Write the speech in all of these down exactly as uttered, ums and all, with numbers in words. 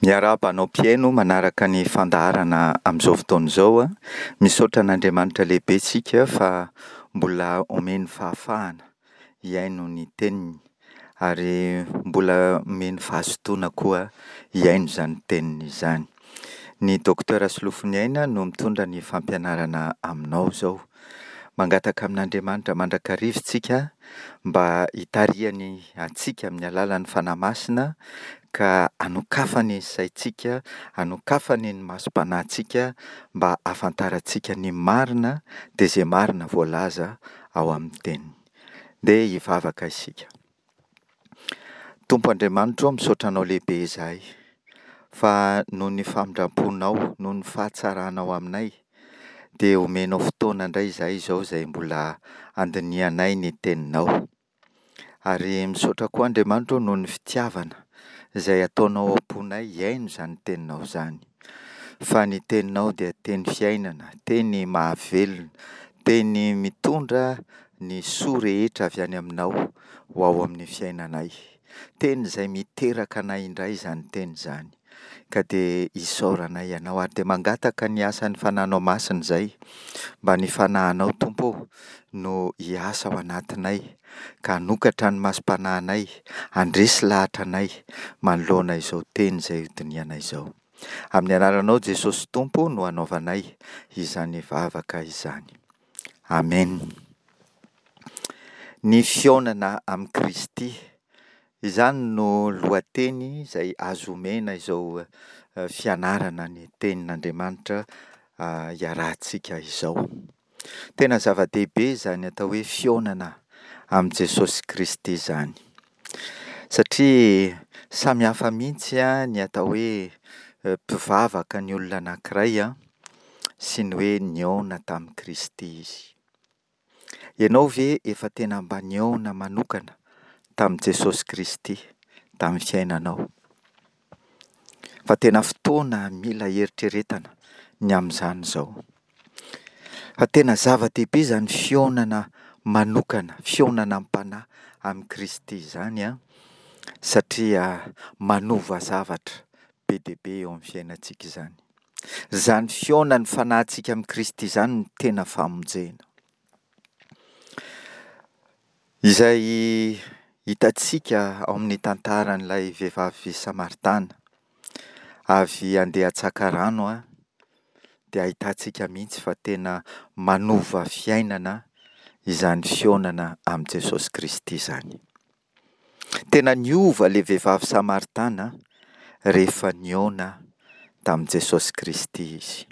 Miarahaba anao mpihaino manaraka ny fandaharana amin'izao fotoana izao. Misaotra an'Andriamanitra lehibe isika fa mbola omeny fahafahana hihaino ny teniny ary mbola omeny fahazotoana koa hihaino izany teniny izany. Ny Docteur Solofoniaina no mitondra ny fampianarana aminao izao. Mangataka amin'Andriamanitra mandrakariva isika mba hitarihany antsika amin'ny alalan'ny Fanahy Masina ka hanokafany ny saintsika, hanokafany ny masom-panahintsika mba hahafantarantsika ny marina dia izay marina voalaza ao amin'ny teniny. Ndeha hivavaka isika. Tompo Andriamanitro ô, misaotra Anao lehibe izahay fa noho ny famindram-ponao, noho ny fahatsaranao aminay dia omenao fotoana indray izahay izao izay mbola handinihanay ny teninao. Ary misaotra koa Andriamanitra ô noho ny fitiavana izay ataonao ao am-ponay hihaino izany teninao izany. Fa ny teninao dia teny fiainana, teny mahavelona, teny mitondra ny soa rehetra avy any aminao ho ao amin'ny fiainanay. Teny izay miteraka anay indray izany teny izany. Ka dia isaoranay Ianao ary dia mangataka ny asan'ny Fanahinao Masina izay mba ny Fanahinao Tompo ô no hiasa ao anatinay ka hanokatra ny masom-panahinay, handresy lahatra anay manoloana izao teny izay hodinihanay izao. Amin'ny anaranao Jesosy Tompo no anaovanay izany vavaka izany. Amen. Ny fihaonana amin'i Kristy. Izany no lohateny izay azo omena izao fianarana ny tenin'Andriamanitra iarahantsika izao. Tena zava-dehibe izany atao hoe fihaonana amin'i Jesosy Kristy izany. Satria samy hafa mihitsy ny atao hoe mpivavaka ny olona anankiray sy ny hoe nihaona tamin'i Kristy izy. Ianao ve efa tena mba nihaona manokana tamin'i Jesosy Kristy tamin'ny fiainanao? Fa tena fotoana mila eritreretana ny amin'izany izao. Fa tena zava-dehibe izany fihaonana manokana, fihaonana am-panahy amin'i Kristy izany an, satria manova zavatra be dia be eo amin'ny fiainantsika izany. Izany fihaonan'ny fanahintsika amin'i Kristy izany no tena famonjena. Izay hitantsika ao amin'ny tantaran'ilay vehivavy samaritana avy handeha hatsaka rano an, dia ahitantsika mihitsy fa tena manova fiainana izany fihaonana amin'i Jesosy Kristy izany. Tena niova ilay vehivavy samaritana rehefa nihaona tamin'i Jesosy Kristy izy.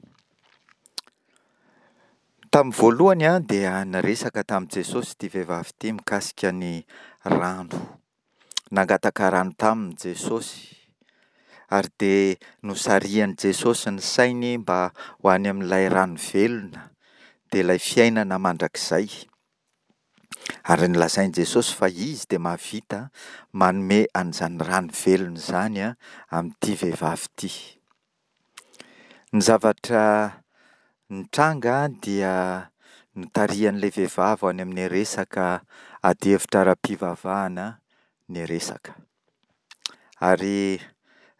Tamin'ny voalohany dia niresaka tamin'i Jesosy ity vehivavy ity mikasika ny rano. Nangataka rano taminy Jesosy ary dia nosarihan'i Jesosy ny sainy mba ho any amin'ilay rano velona, dia ilay fiainana mandrakizay. Ary nolazain'i Jesosy fa Izy dia mahavita manome an'izany rano velona izany amin'ity vehivavy ity. Ny zavatra nitranga dia notarihan'ilay vehivavy ho any amin'ny resaka adihevitra ara-pivavahana ny resaka. Ary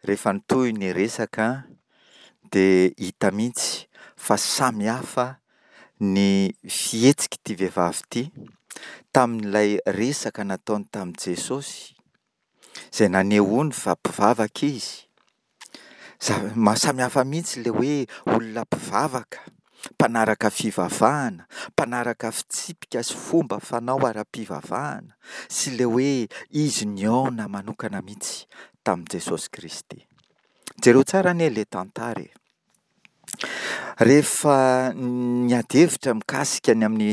rehefa nitohy ny resaka dia hita mihitsy fa samy hafa ny fihetsik'ity vehivavy ity tamin'ilay resaka nataony tamin'i Jesosy, izay nanehoany fa mpivavaka izy. Zava- mahasamy hafa mihitsy ilay hoe olona mpivavaka, mpanaraka fivavahana, mpanaraka fitsipika sy fomba fanao ara-pivavahana sy ilay hoe izy nihaona manokana mihitsy tamin'i Jesosy Kristy. Jereo tsara anie ilay tantara e. Rehefa niady hevitra mikasika ny amin'ny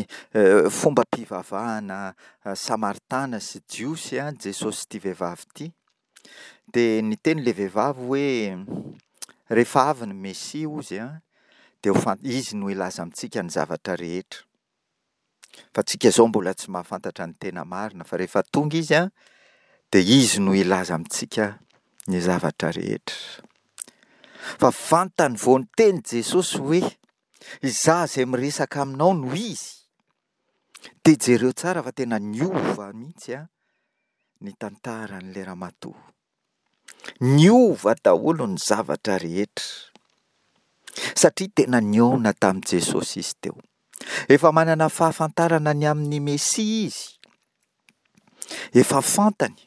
fombam-pivavahana samaritana sy jiosy Jesosy ity vehivavy ity, dia niteny ilay vehivavy hoe rehefa avy ny Mesia hozy dia ho fan-, izy no hilaza amintsika ny zavatra rehetra. Fa tsika izao mbola tsy mahafantatra ny tena marina, fa rehefa tonga izy an, dia izy no hilaza amintsika ny zavatra rehetra. Fa vantany vao niteny Jesosy hoe izaho izay miresaka aminao no izy, dia jereo tsara fa tena niova mihitsy an ny tantaran'ilay ramatoa. Niova daholo ny zavatra rehetra, satria tena nihaona tamin'i Jesosy izy teo. Efa manana fahafantarana ny amin'ny Mesia izy. Efa fantany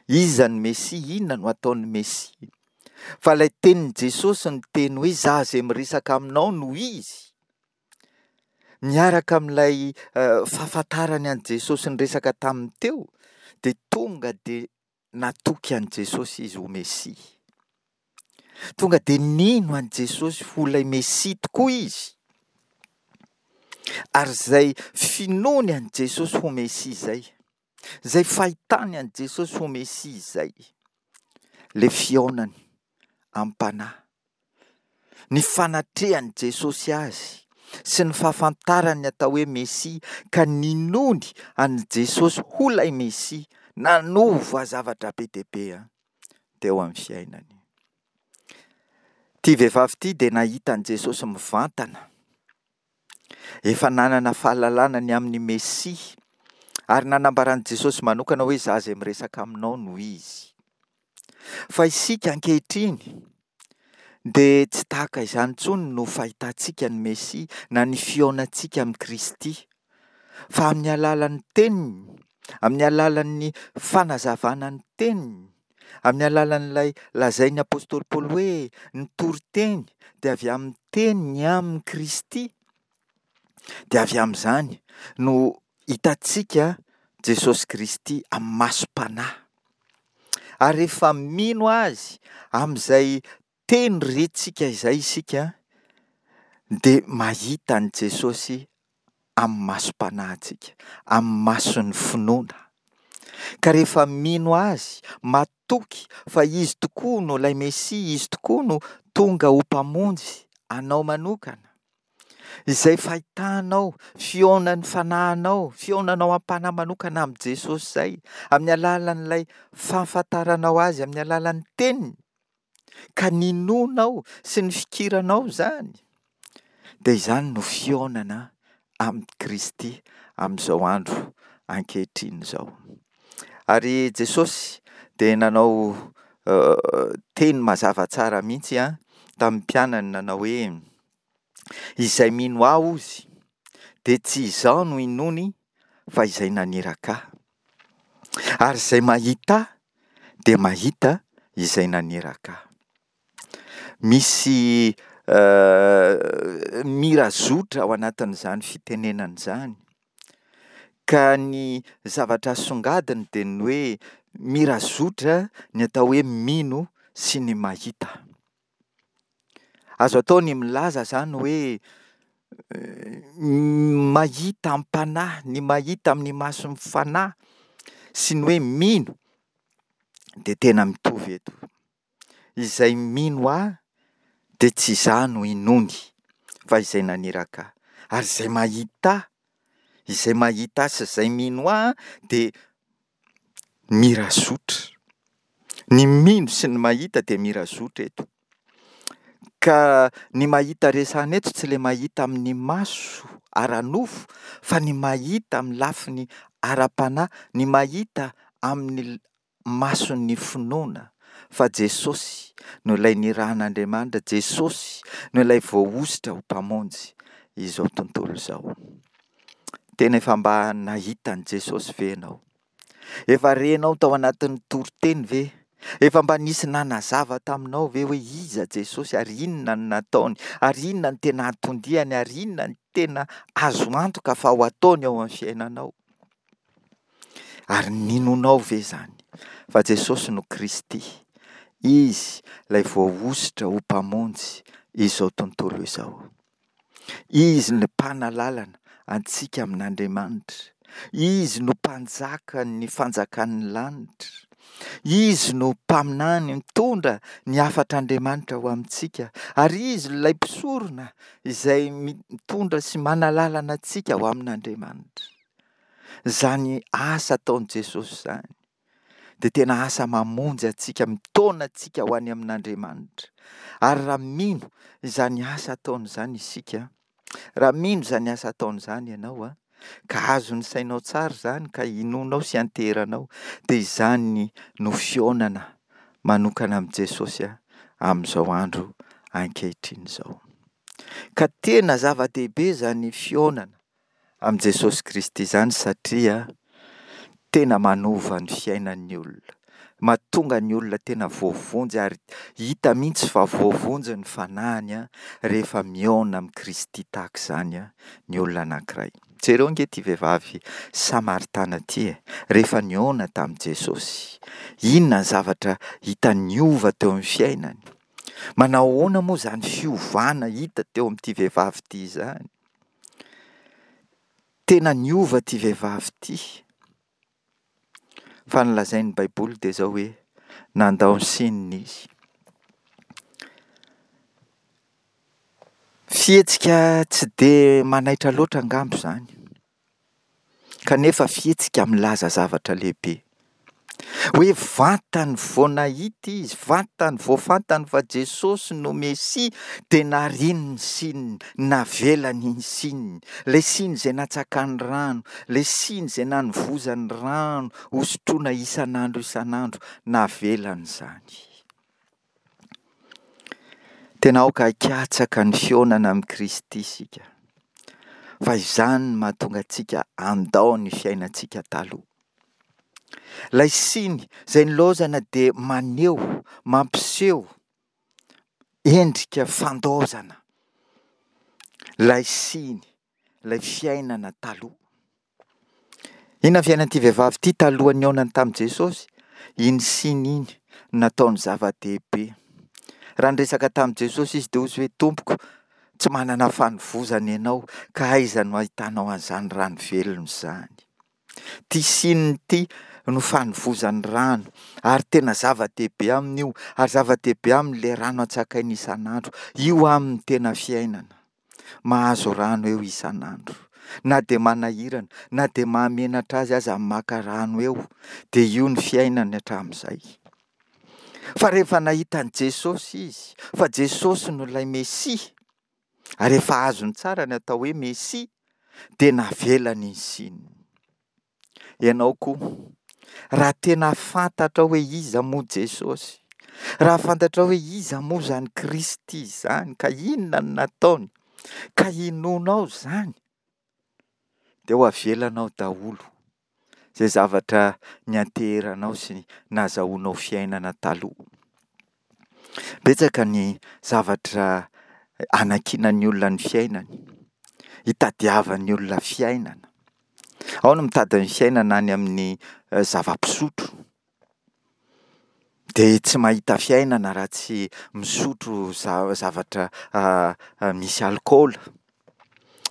iza ny Mesia, inona no ataon'ny Mesia. Fa ilay tenin'i Jesosy niteny hoe izaho izay miresaka aminao no izy. Miaraka amin'ilay fahafantarany an'i Jesosy niresaka taminy teo, dia tonga dia natoky an'i Jesosy izy ho Mesia. Tonga dia nino an'i Jesosy ho ilay Mesia tokoa izy. Ary izay finoany an'i Jesosy ho Mesia izay, izay fahitany an'i Jesosy ho Mesia izay, ilay fihaonany am-panahy, ny fanatrehan'i Jesosy azy sy ny fahafantarany ny atao hoe Mesia ka ninoany an'i Jesosy ho ilay Mesia, nanova zavatra be dia be teo amin'ny fiainany. Ity vehivavy ity dia nahita an'i Jesosy mivantana. Efa nanana fahalalana ny amin'ny Mesia ary nanambaran'i Jesosy manokana hoe izaho izay miresaka aminao no izy. Fa isika ankehitriny dia tsy tahaka izany intsony no fahitantsika ny Mesia na ny fihaonantsika amin'i Kristy, fa amin'ny alalan'ny teniny, amin'ny alalan'ny fanazavana ny teniny, amin'ny alalan'ilay lazain'ny apostoly Paoly hoe ny toriteny dia avy amin'ny teny ny amin'i Kristy, dia avy amin'izany no hitantsika Jesosy Kristy amin'ny masom-panahy. Ary rehefa mino Azy amin'izay teny rentsika izay isika, dia mahita an'i Jesosy amin'ny masom-panahintsika, amin'ny mason'ny finoana. Ka rehefa mino Azy, matoky fa Izy tokoa no ilay Mesia, Izy tokoa no tonga ho Mpamonjy anao manokana, izay fahitanao, fihaonan'ny fanahinao, fihaonanao am-panahy manokana amin'i Jesosy izay, amin'ny alalan'ilay fahafantaranao Azy, amin'ny alalan'ny teniny, ka ninoanao sy ny fikiranao izany, dia izany no fihaonana amin'i Kristy amin'izao andro ankehitriny izao. Ary Jesosy dia nanao teny mazava tsara mihitsy tamin'ny mpianany nanao hoe, izay mino ahy hozy dia tsy izaho no inoany fa izay naniraka ahy. Ary izay mahita ahy dia mahita izay naniraka ahy. Misy mirazotra ao anatin'izany fitenenana izany. Ka ny zavatra asongadiny dia ny hoe mirazotra ny atao hoe mino sy ny mahita. Azo atao ny milaza izany hoe mahita am-panahy, ny mahita amin'ny mason'ny fanahy sy ny hoe mino dia tena mitovy eto. Izay mino ahy dia tsy izaho no inoany fa izay naniraka ahy. Ary izay mahita ahy, izay mahita ahy sy izay mino ahy dia mirazotra. Ny mino sy ny mahita dia mirazotra eto. Ka ny mahita resahina eto tsy ilay mahita amin'ny maso ara-nofo fa ny mahita amin'ny lafiny ara-panahy, ny mahita amin'ny mason'ny finoana fa Jesosy no ilay nirahan'Andriamanitra, Jesosy no ilay voahosotra ho Mpamonjy izao tontolo izao. Tena efa mba nahita an'i Jesosy ve ianao? Efa renao tao anatin'ny toriteny ve? Efa mba nisy nanazava taminao ve hoe iza Jesosy ary inona no nataony ary inona no tena anton-diany ary inona no tena azo antoka fa ho ataony ao amin'ny fiainanao? Ary ninoanao ve izany fa Jesosy no Kristy, Izy ilay voahosotra ho Mpamonjy izao tontolo izao? Izy no mpanalalana antsika amin'Andriamanitra. Izy no mpanjakan'ny fanjakan'ny lanitra. Izy no mpaminany mitondra ny hafatr'Andriamanitra ho amintsika. Ary Izy ilay mpisorona izay mitondra sy manalalana antsika ho amin'Andriamanitra. Izany asa ataon'i Jesosy izany dia tena asa mamonjy antsika, mitaona antsika ho any amin'Andriamanitra. Ary raha mino izany asa ataony izany isika, raha mino izany asa ataony izany ianao, a, ka azon'ny sainao tsara izany, ka inoanao sy anteheranao, dia izany no fihaonana manokana amin'i Jesosy amin'izao andro ankehitriny izao. Ka tena zava-dehibe izany fihaonana amin'i Jesosy Kristy izany satria tena manova ny fiainan'ny olona. Mahatonga ny olona tena voavonjy ary hita mihitsy fa voavonjy ny fanahiny rehefa mihaona amin'i Kristy tahaka izany ny olona anankiray. Jereo ange ity vehivavy Samaritana ity e, rehefa nihaona tamin'i Jesosy. Inona ny zavatra hita niova teo amin'ny fiainany? Manao ahoana moa izany fiovana hita teo amin'ity vehivavy ity izany? Tena niova ity vehivavy ity. Fa ny lazain'ny Baiboly dia izao hoe nandao ny sininy izy. Fihetsika tsy dia manaitra loatra angamba izany. Kanefa fihetsika milaza zavatra lehibe. Hoe vantany vao nahita izy, vantany vao fantany fa Jesosy no Mesia, dia nariny ny sininy, navelany ny sininy. Ilay siny izay natsakany rano, ilay siny izay nanovozany rano hosotroina isan'andro isan'andro, navelany izany. Tena aoka hikatsaka ny fihaonana amin'i Kristy isika, fa izany no mahatonga antsika handao ny fiainantsika taloha. Ilay siny izay nilaozana dia maneho, mampiseho endrika fandaozana ilay siny, ilay fiainana taloha. Inona ny fiainan'ity vehivavy ity talohan'ny nihaonany tamin'i Jesosy? Iny siny iny no nataony zava-dehibe. Raha niresaka tamin'i Jesosy izy dia hoy izy hoe, Tompoko, tsy manana fanovozana ianao, ka aiza no ahitanao an'izany rano velona izany? Ity sininy ity no fanovozany rano, ary tena zava-dehibe aminy io, ary zava-dehibe aminy ilay rano antsakainy isan'andro. Io aminy tena fiainana. Mahazo rano eo isan'andro. Na dia manahirana, na dia mahamenatra azy aza ny maka rano eo, dia io ny fiainany hatramin'izay. Fa rehefa nahita an'i Jesosy izy, fa Jesosy no ilay Mesia, ary efa azony tsara ny atao hoe Mesia, dia navelany ny sininy. Ianao koa, raha tena fantatrao hoe iza moa Jesosy, raha fantatrao hoe iza moa izany Kristy izany, ka inona no nataony, ka inoanao izany, dia ho avelanao daholo izay zavatra nianteheranao sy nazahoanao fiainana taloha. Betsaka ny zavatra anankinan'ny olona ny fiainany, itadiavan'ny olona fiainana. Ao ny mitady ny fiainana any amin'ny zava-pisotro, dia tsy mahita fiainana raha tsy misotro zavatra misy alikaola.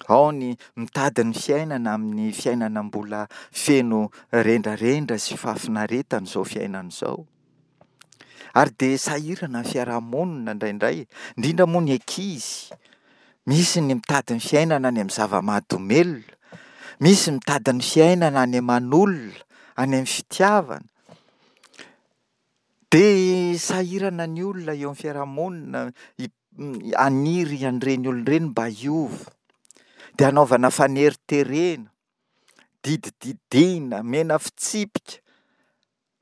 Ao ny mitady ny fiainana amin'ny fiainana mbola feno rendrarendra sy fahafinaretana izao fiainana izao. Ary dia sahirana ny fiarahamonina indraindray, indrindra moa ny ankizy. Misy ny mitady ny fiainana any amin'ny zava-mahadomelina, misy mitady ny fiainana any aman'olona, any amin'ny fitiavana. Dia sahirana ny olona eo amin'ny fiarahamonina haniry an'ireny olona ireny mba hiova. Dia hanaovana faneriterena, didididiana, omena fitsipika,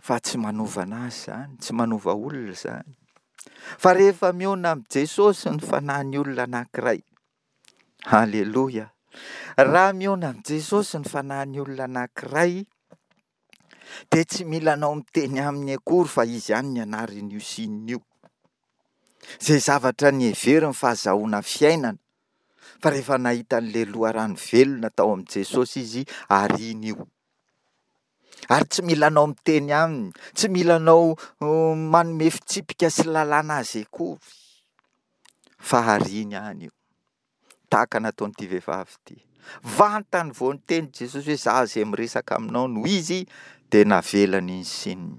fa tsy manova an'azy izany, tsy manova olona izany. Fa rehefa mihaona amin'i Jesosy ny fanahin'ny olona anankiray, haleloia, raha mihaona amin'i Jesosy ny fanahin'ny olona anankiray, dia tsy mila anao miteny aminy akory fa izy ihany ny anarin'io sinina io. Izay zavatra niheveriny fa azahoana fiainana, fa rehefa nahita an'ilay loharano velona tao amin'i Jesosy izy, ariny io. Ary tsy mila anao miteny aminy, tsy mila anao manome fitsipika sy lalàna azy akory, fa ariny any io. Tahaka nataon'ity vehivavy ity. Vantany vao niteny Jesosy hoe za izay miresaka aminao no izy, dia navelany ny sininy.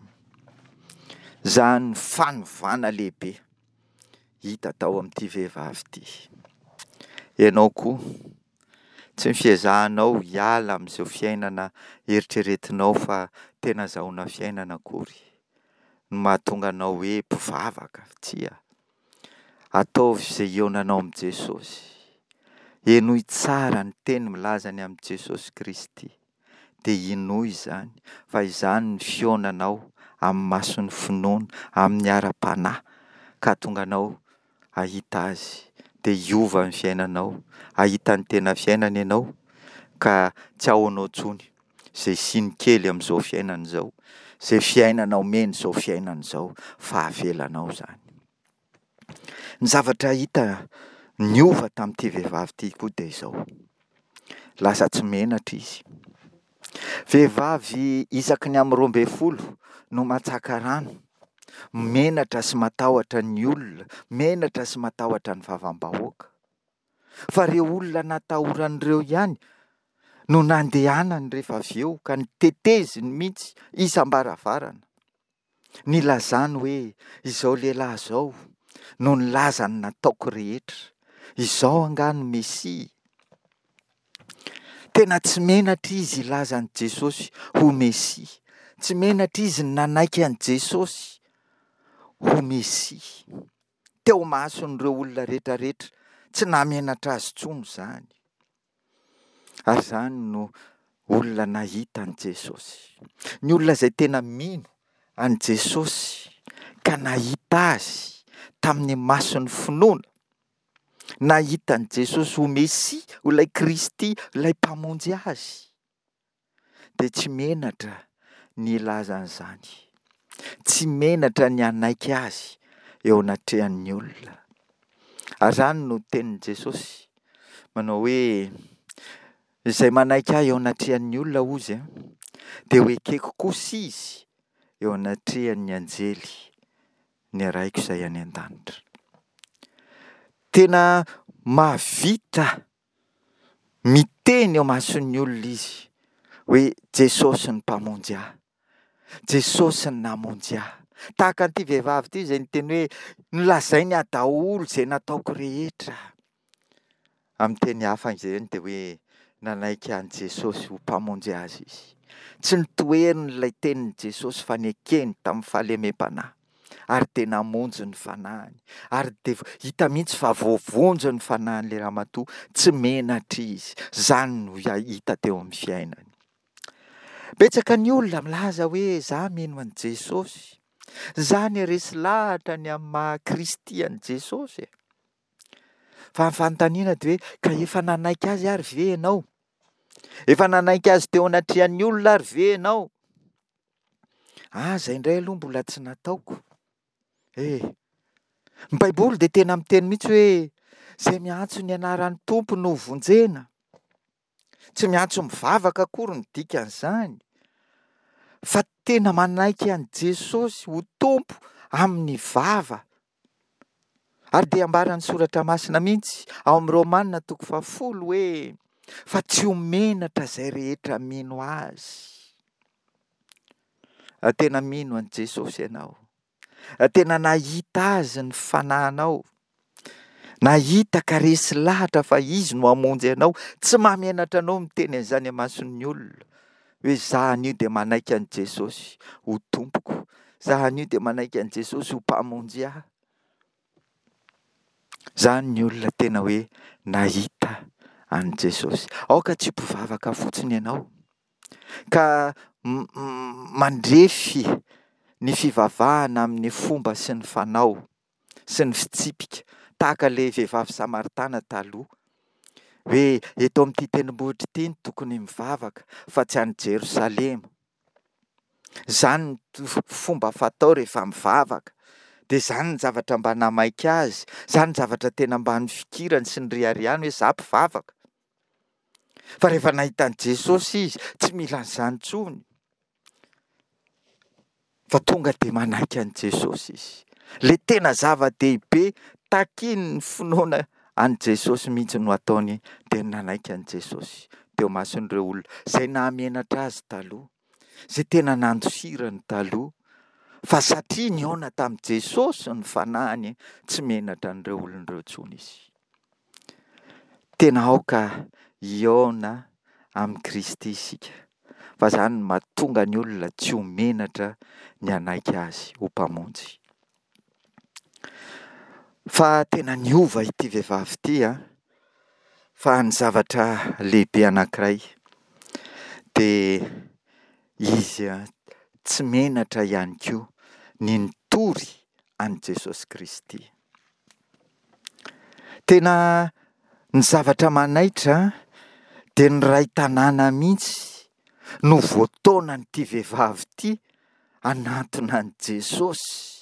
Izany fanovana lehibe hita tao amin'ity vehivavy ity. Ianao koa, tsy ny fiezahanao hiala amin'izao fiainana eritreretinao fa tena azahoana fiainana akory no mahatonga anao hoe mpivavaka. Tsia. Ataovy izay hihaonanao amin'i Jesosy. Henoy tsara ny teny milaza ny amin'i Jesosy Kristy. Dia inoy izany, fa izany ny fihaonanao amin'ny mason'ny finoana, amin'ny ara-panahy, ka hahatonga anao hahita Azy, dia hiova ny fiainanao, hahita ny tena fiainana ianao, ka tsy ahoanao intsony izay siny kely amin'izao fiainana izao, izay fiainana omen'izao fiainana izao, fa avelanao izany. Ny zavatra hita niova tamin'ity vehivavy ity koa dia izao, lasa tsy menatra izy. Vehivavy isaky ny amin'ny roa ambin'ny folo no mantsaka rano, menatra sy matahotra ny olona, menatra sy matahotra ny vavam-bahoaka. Fa ireo olona natahorany ireo ihany no nandehanany rehefa avy eo ka noteteziny mihitsy isam-baravarana. Nilazany hoe izao lehilahy izao no nilaza ny nataoko rehetra, izao angaha no Mesia? Tena tsy menatra izy hilaza an'i Jesosy ho Mesia. Tsy menatra izy ny nanaiky an'i Jesosy ho Mesia. Teo imason'ireo olona rehetra rehetra, tsy nahamenatra azy intsony izany. Ary izany no olona nahita an'i Jesosy. Ny olona izay tena mino an'i Jesosy ka nahita azy tamin'ny mason'ny finoana, nahita an'i Jesosy ho Mesia, ho ilay Kristy, ilay Mpamonjy azy, dia tsy menatra ny hilaza an'izany. Tsy menatra ny hanaiky azy eo anatrehan'ny olona. Ary izany no tenin'i Jesosy manao hoe, izay manaiky ahy eo anatrehan'ny olona hozy, dia ho ekeko kosa izy eo anatrehan'ny anjely ny Raiko izay any an-danitra. Tena mahavita miteny eo mason'ny olona izy hoe Jesosy ny Mpamonjy ahy, Jesosy ny namonjy ahy. Tahaka an'ity vehivavy ity izay niteny hoe nolazainy ahy daholo izay nataoko rehetra. Amin'ny teny hafa izany dia hoe nanaiky an'i Jesosy ho Mpamonjy azy izy. Tsy notoheriny ilay tenin'i Jesosy fa nekeny tamin'ny fahalemem-panahy. Ary dia namonjy ny fanahiny. Ary dia hita mihitsy fa voavonjy ny fanahin'ilay ramatoa, tsy menatra izy. Izany no hita teo amin'ny fiainany. Betsaka ny olona milaza hoe za mino an'i Jesosy. Za niresy lahatra ny amin'ny maha Kristy an'i Jesosy e. Fa ny fanontaniana dia hoe ka efa nanaiky azy ary ve ianao? Efa nanaiky azy teo anatrehan'ny olona ary ve ianao? Ah, izay indray aloha mbola tsy nataoko. Eh, ny Baiboly dia tena miteny mihitsy hoe izay miantso ny anaran'ny Tompo no vonjena. Tsy miantso mivavaka akory ny dikan'izany, fa tena manaiky an'i Jesosy ho Tompo amin'ny vava. Ary dia ambaran'ny Soratra Masina mihitsy ao amin'ny Romana toko fahafolo hoe fa tsy ho menatra izay rehetra mino azy. Raha tena mino an'i Jesosy ianao, raha tena nahita azy ny fanahinao, nahita ka resy lahatra fa izy no hamonjy anao, tsy mahamenatra anao miteny an'izany amason'ny olona hoe za anio dia manaiky an'i Jesosy ho Tompoko, za anio dia manaiky an'i Jesosy ho Mpamonjy ahy. Izany ny olona tena hoe nahita an'i Jesosy. Aoka tsy ho mpivavaka fotsiny ianao ka mandrefy ny fivavahana amin'ny fomba sy ny fanao sy ny fitsipika tahaka ilay vehivavy samaritana taloha hoe eto amin'ity tendrombohitra ity no tokony mivavaka fa tsy any Jerosalema. Izany no fomba fatao rehefa mivavaka. Dia izany ny zavatra mba namaika azy, izany ny zavatra tena mba nifikirany sy niriariany hoe za mpivavaka. Fa rehefa nahita an'i Jesosy izy, tsy mila an'izany intsony. Fa tonga dia manaiky an'i Jesosy izy. Ilay tena zava-dehibe takian'ny finoana an'i Jesosy mihitsy no ataony, dia ny nanaiky an'i Jesosy teo imason'ireo olona izay nahamenatra azy taloha, izay tena nandosirany taloha, fa satria nihaona tamin'i Jesosy ny fanahiny, tsy menatra an'ireo olona ireo intsony izy. Tena aoka hihaona amin'i Kristy isika, fa izany no mahatonga ny olona tsy ho menatra ny hanaiky azy ho Mpamonjy. Fa tena niova ity vehivavy ity an, fa ny zavatra lehibe anankiray dia izy tsy menatra ihany koa ny nitory an'i Jesosy Kristy. Tena ny zavatra manaitra dia ny iray tanàna mihitsy no voataonan'ity vehivavy ity hanantona an'i Jesosy.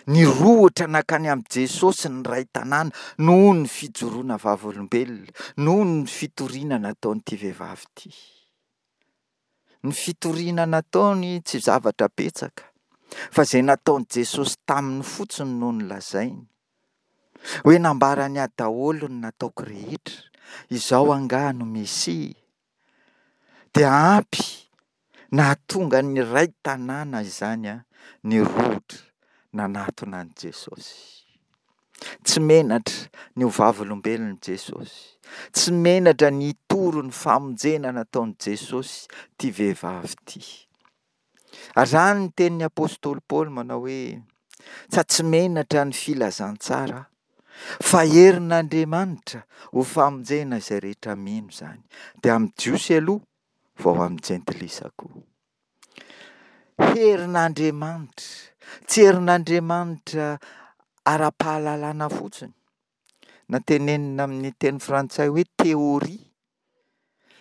Nirohotra nankany amin'i Jesosy ny iray tanàna noho ny fijoroana vavolombelona, noho ny fitoriana nataon'ity vehivavy ity. Ny fitoriana nataony tsy zavatra betsaka, fa izay nataon'i Jesosy taminy fotsiny no nolazainy. Hoe nambarany ahy daholo ny nataoko rehetra, izao angaha no Mesia? Dia ampy nahatonga ny iray tanàna izany nirohotra nanatona an'i Jesosy. Tsy menatra ny ho vavolombelon'i Jesosy. Tsy menatra ny hitory ny famonjena nataon'i Jesosy ity vehivavy ity. Ary izany ny tenin'ny apostoly Paoly manao hoe, Tsa tsy menatra ny filazantsara aho, fa herin'Andriamanitra ho famonjena izay rehetra mino izany. Dia amin'ny Jiosy aloha vao amin'ny Jentilisa koa. Herin'Andriamanitra, tsy herin'Andriamanitra ara-pahalalana fotsiny, na tenenina amin'ny teny frantsay hoe théorie,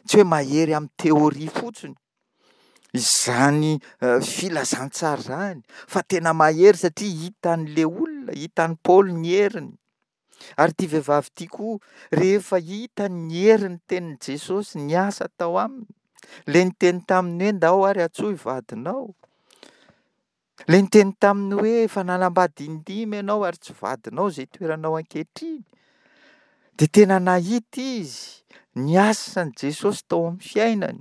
tsy hoe mahery amin'ny théorie fotsiny izany filazantsara izany, fa tena mahery satria hitan'ilay olona, hitan'i Paoly ny heriny. Ary ity vehivavy ity koa, rehefa hitany ny herin'ny tenin'i Jesosy niasa tao aminy, ilay niteny taminy hoe ndao ary antsoy vadinao, ilay niteny taminy hoe efa nanambady indimy ianao ary tsy vadinao izay itoeranao ankehitriny, dia tena nahita izy ny asan'i Jesosy tao amin'ny fiainany.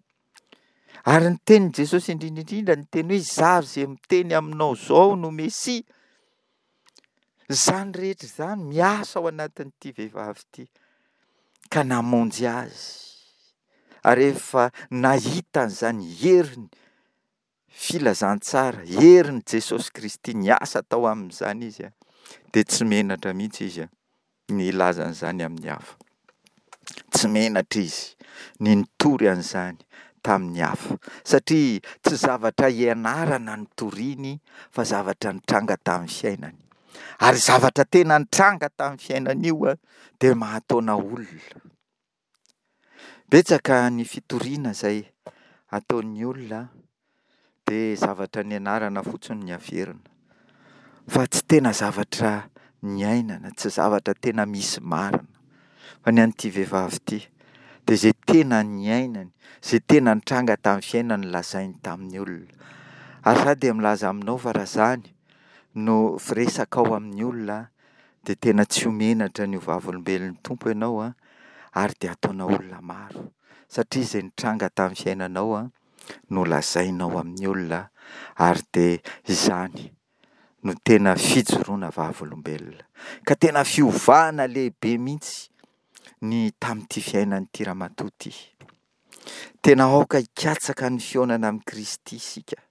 Ary ny tenin'i Jesosy indrindra indrindra niteny hoe izaho izay miteny aminao izao no Mesia. Izany rehetra izany miasa ao anatin'ity vehivavy ity ka namonjy azy. Ary rehefa nahita an'izany heriny filazantsara, herin'i Jesosy Kristy niasa tao amin'izany izy, dia tsy menatra mihitsy izy ny hilaza an'izany amin'ny hafa. Tsy menatra izy ny nitory an'izany tamin'ny hafa, satria tsy zavatra ianarana no toriny fa zavatra nitranga tamin'ny fiainany. Ary zavatra tena nitranga tamin'ny fiainany io dia mahataona olona. Betsaka ny fitoriana izay ataon'ny olona dia zavatra nianarana fotsiny ny averina, fa tsy tena zavatra niainana, tsy zavatra tena misy marina. Fa ny an'ity vehivavy ity dia izay tena niainany, izay tena nitranga tamin'ny fiainany lazainy tamin'ny olona. Ary izaho dia milaza aminao fa raha izany no firesakao amin'ny olona dia tena tsy ho menatra ny ho vavolombelon'ny Tompo ianao an, ary dia hataonao olona maro, satria izay nitranga tamin'ny fiainanao an, no lazainao amin'ny olona, ary dia izany no tena fijoroana vavolombelona. Ka tena fiovana lehibe mihitsy ny tamin'ity fiainan'ity ramatoa ity. Tena aoka hikatsaka ny fihaonana amin'i Kristy isika.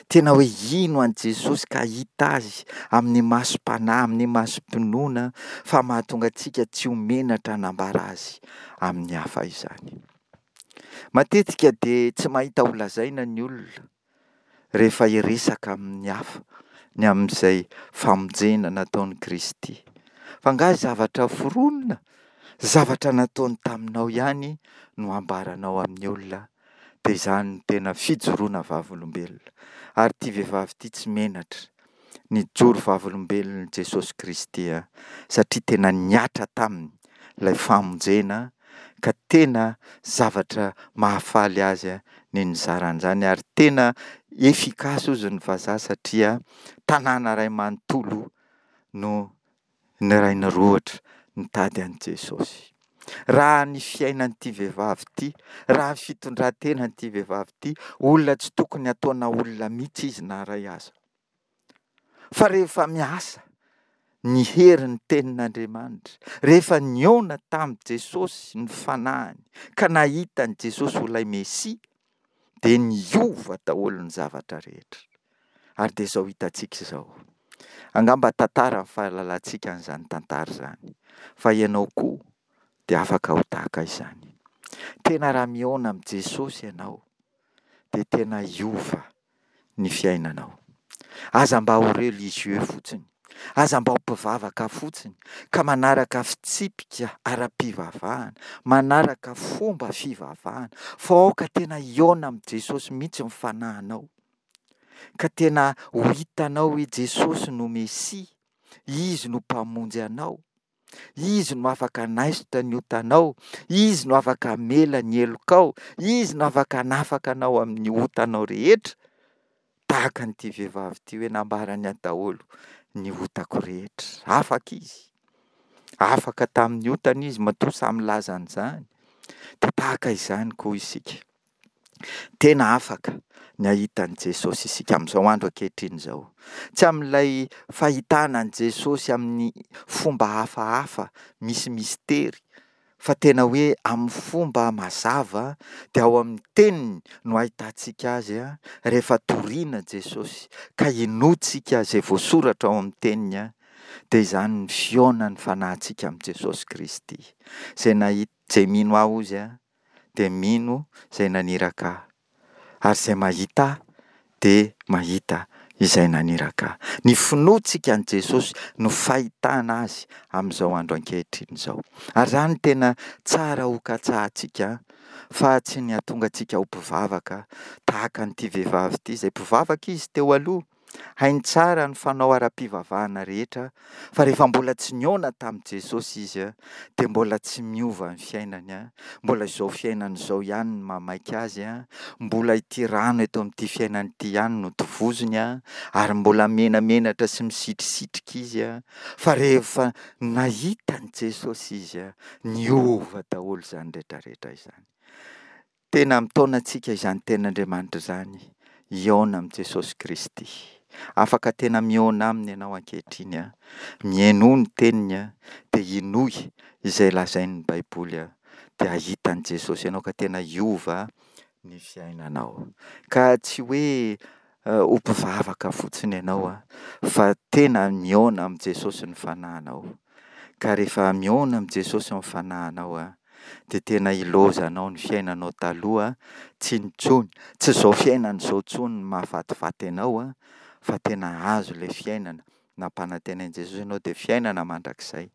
Tena hoe hino an'i Jesosy ka hahita Azy amin'ny masom-panahy, amin'ny masom-pinoana, fa mahatonga antsika tsy ho menatra hanambara Azy amin'ny hafa izany. Matetika dia tsy mahita ho lazaina ny olona rehefa hiresaka amin'ny hafa ny amin'izay famonjena nataon'i Kristy. Fa angaha zavatra foronina, zavatra nataony taminao ihany no ambaranao amin'ny olona, dia izany no tena fijoroana vavolombelona. Ary ity vehivavy ity tsy menatra nijoro vavolombelon'i Jesosy Kristy satria tena nihatra taminy ilay famonjena ka tena zavatra mahafaly azy ny nizara an'izany ary tena efficace hozy ny vazaha satria tanàna iray manontolo no niray nirohotra nitady an'i Jesosy. Raha ny fiainan'ity vehivavy ity, raha ny fitondran-tenan'ity vehivavy ity, olona tsy tokony hataona olona mihitsy izy na iray aza. Fa rehefa miasa ny herin'ny tenin'Andriamanitra, rehefa nihaona tamin'i Jesosy ny fanahiny ka nahita an'i Jesosy ho ilay Mesia, dia niova daholo ny zavatra rehetra. Ary dia izao hitantsika izao. Angamba tantara ny fahalalantsika an'izany tantara izany. Fa ianao koa dia afaka ho tahaka izany. Tena raha mihaona amin'i Jesosy ianao, dia tena hiova ny fiainanao. Aza mba ho religieux fotsiny, aza mba ho mpivavaka fotsiny ka manaraka fitsipika ara-pivavahana, manaraka fomba fivavahana, fa aoka tena hihaona amin'i Jesosy mihitsy ny fanahinao, ka tena ho hitanao hoe Jesosy no Mesia, Izy no Mpamonjy anao, Izy no afaka hanaisotra ny otanao, Izy no afaka hamela ny helokao, Izy no afaka hanafaka anao amin'ny otanao rehetra, tahaka an'ity vehivavy ity hoe nambarany ahy daholo ny otako rehetra. Afaka izy, afaka tamin'ny otany izy matoa sahy milaza an'izany. Dia tahaka izany koa isika. Tena afaka ny hahita an'i Jesosy isika amin'izao andro ankehitriny izao. Tsy amin'ilay fahitana an'i Jesosy amin'ny fomba hafahafa misy mistery, fa tena hoe amin'ny fomba mazava dia ao amin'ny teniny no ahitantsika azy rehefa toriana Jesosy ka inoantsika izay voasoratra ao amin'ny teniny, dia izany ny fihaonan'ny fanahintsika amin'i Jesosy Kristy. Izay nahit- izay mino ahy hozy dia mino izay naniraka ahy, ary izay mahita ahy dia mahita izay naniraka ahy. Ny finoantsika an'i Jesosy no fahitana azy amin'izao andro ankehitriny izao. Ary izany tena tsara hokatsahantsika fa tsy ny hahatonga antsika ho mpivavaka tahaka an'ity vehivavy ity, izay mpivavaka izy teo aloha, hainy tsara ny fanao ara-pivavahana rehetra, fa rehefa mbola tsy nihaona tamin'i Jesosy izy dia mbola tsy miova ny fiainany, mbola izao fiainana izao ihany no mahamaika azy, mbola ity rano eto amin'ity fiainana ity ihany no tovozony, ary mbola menamenatra sy misitrisitrika izy, fa rehefa nahita an'i Jesosy izy, niova daholo izany rehetra rehetra izany. Tena mitaona antsika izany tenin'Andriamanitra izany hihaona amin'i Jesosy Kristy. Afaka tena mihaona aminy ianao ankehitriny an, mihainoa ny teniny an, dia inoy izay lazain'ny Baiboly an, dia hahita an'i Jesosy ianao ka tena hiova ny fiainanao. Ka tsy hoe ho mpivavaka fotsiny ianao an, fa tena mihaona amin'i Jesosy ny fanahinao. Ka rehefa mihaona amin'i Jesosy ny fanahinao an, dia tena ilaozanao ny fiainanao taloha, tsy intsony, tsy izao fiainana izao intsony no mahafatifaty anao an, fa tena azo ilay fiainana nampanantenain'i Jesosy anao dia fiainana mandrakizay.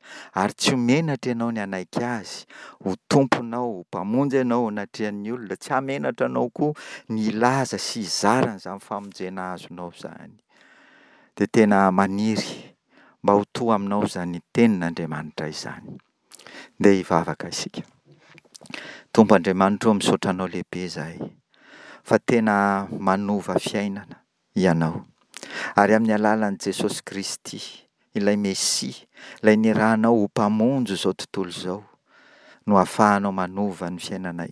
Ary tsy ho menatra ianao ny hanaiky Azy ho Tomponao, ho Mpamonjy anao anatrehan'ny olona. Tsy hahamenatra anao koa ny hilaza sy hizara an'izany famonjena azonao izany. Dia tena maniry mba ho to aminao izany tenin'Andriamanitra izany. Ndeha hivavaka isika. Tompo Andriamanitra ô, misaotra Anao lehibe izahay fa tena manova fiainana Ianao. Ary amin'ny alalan'i Jesosy Kristy, ilay Mesia, ilay nirahanao ho Mpamonjy izao tontolo izao, no ahafahanao manova ny fiainanay.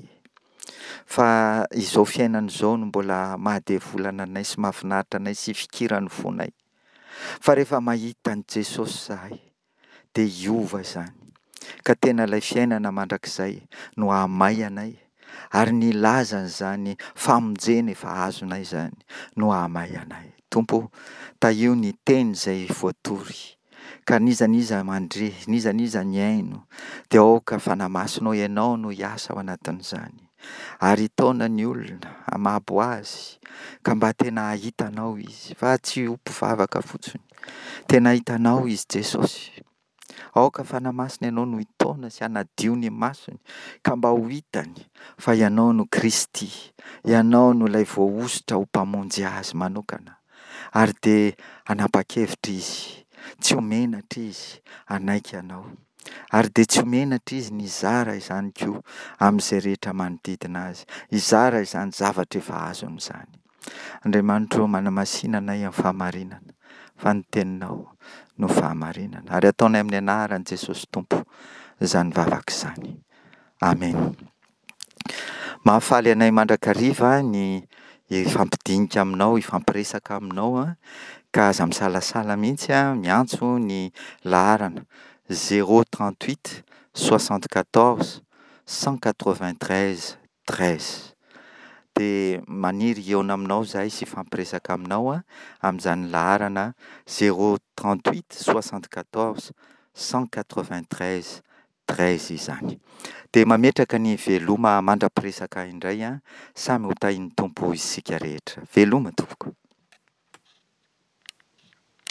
Fa izao fiainana izao no mbola mahadevolana anay sy mahafinaritra anay sy ifikiran'ny fonay. Fa rehefa mahita an'i Jesosy izahay, dia hiova izany. Ka tena ilay fiainana mandrakizay no hahamay anay, ary ny hilaza an'izany famonjena efa azonay izany no hahamay anay. Tompo ô, tahio ny teny izay voatory, ka n'iza n'iza mandre, n'iza n'iza mihaino, dia aoka Fanahy Masinao Ianao no hiasa ao anatin'izany, ary hitaona ny olona, hamabo azy, ka mba tena hahita Anao izy, fa tsy ho mpivavaka fotsiny. Tena hahita Anao izy Jesosy. Aoka Fanahy Masina Ianao no hitaona sy hanadio ny masony, ka mba ho hitany fa Ianao no Kristy, Ianao no ilay voahosotra ho Mpamonjy azy manokana. Ary dia hanapa-kevitra izy, tsy ho menatra izy hanaiky Anao. Ary dia tsy ho menatra izy ny hizara izany koa amin'izay rehetra manodidina azy, hizara izany zavatra efa azony izany. Andriamanitra ô, manamasina anay amin'ny fahamarinana, fa ny teninao no fahamarinana. Ary ataonay amin'ny anaran'i Jesosy Tompo izany vavaka izany. Amen. Mahafaly anay mandrakariva ny hifampidinika aminao, hifampiresaka aminao, ka aza misalasala mihitsy miantso ny laharana zéro trente huit soixante quatorze cent quatre vingt treize treize. Dia maniry hihaona aminao izahay sy hifampiresaka aminao amin'izany laharana zéro trente huit soixante quatorze cent quatre vingt treize. treize izany. Dia mametraka ny veloma mandra-piresaka indray an, samy ho tahian'ny Tompo isika rehetra. Veloma tompoko.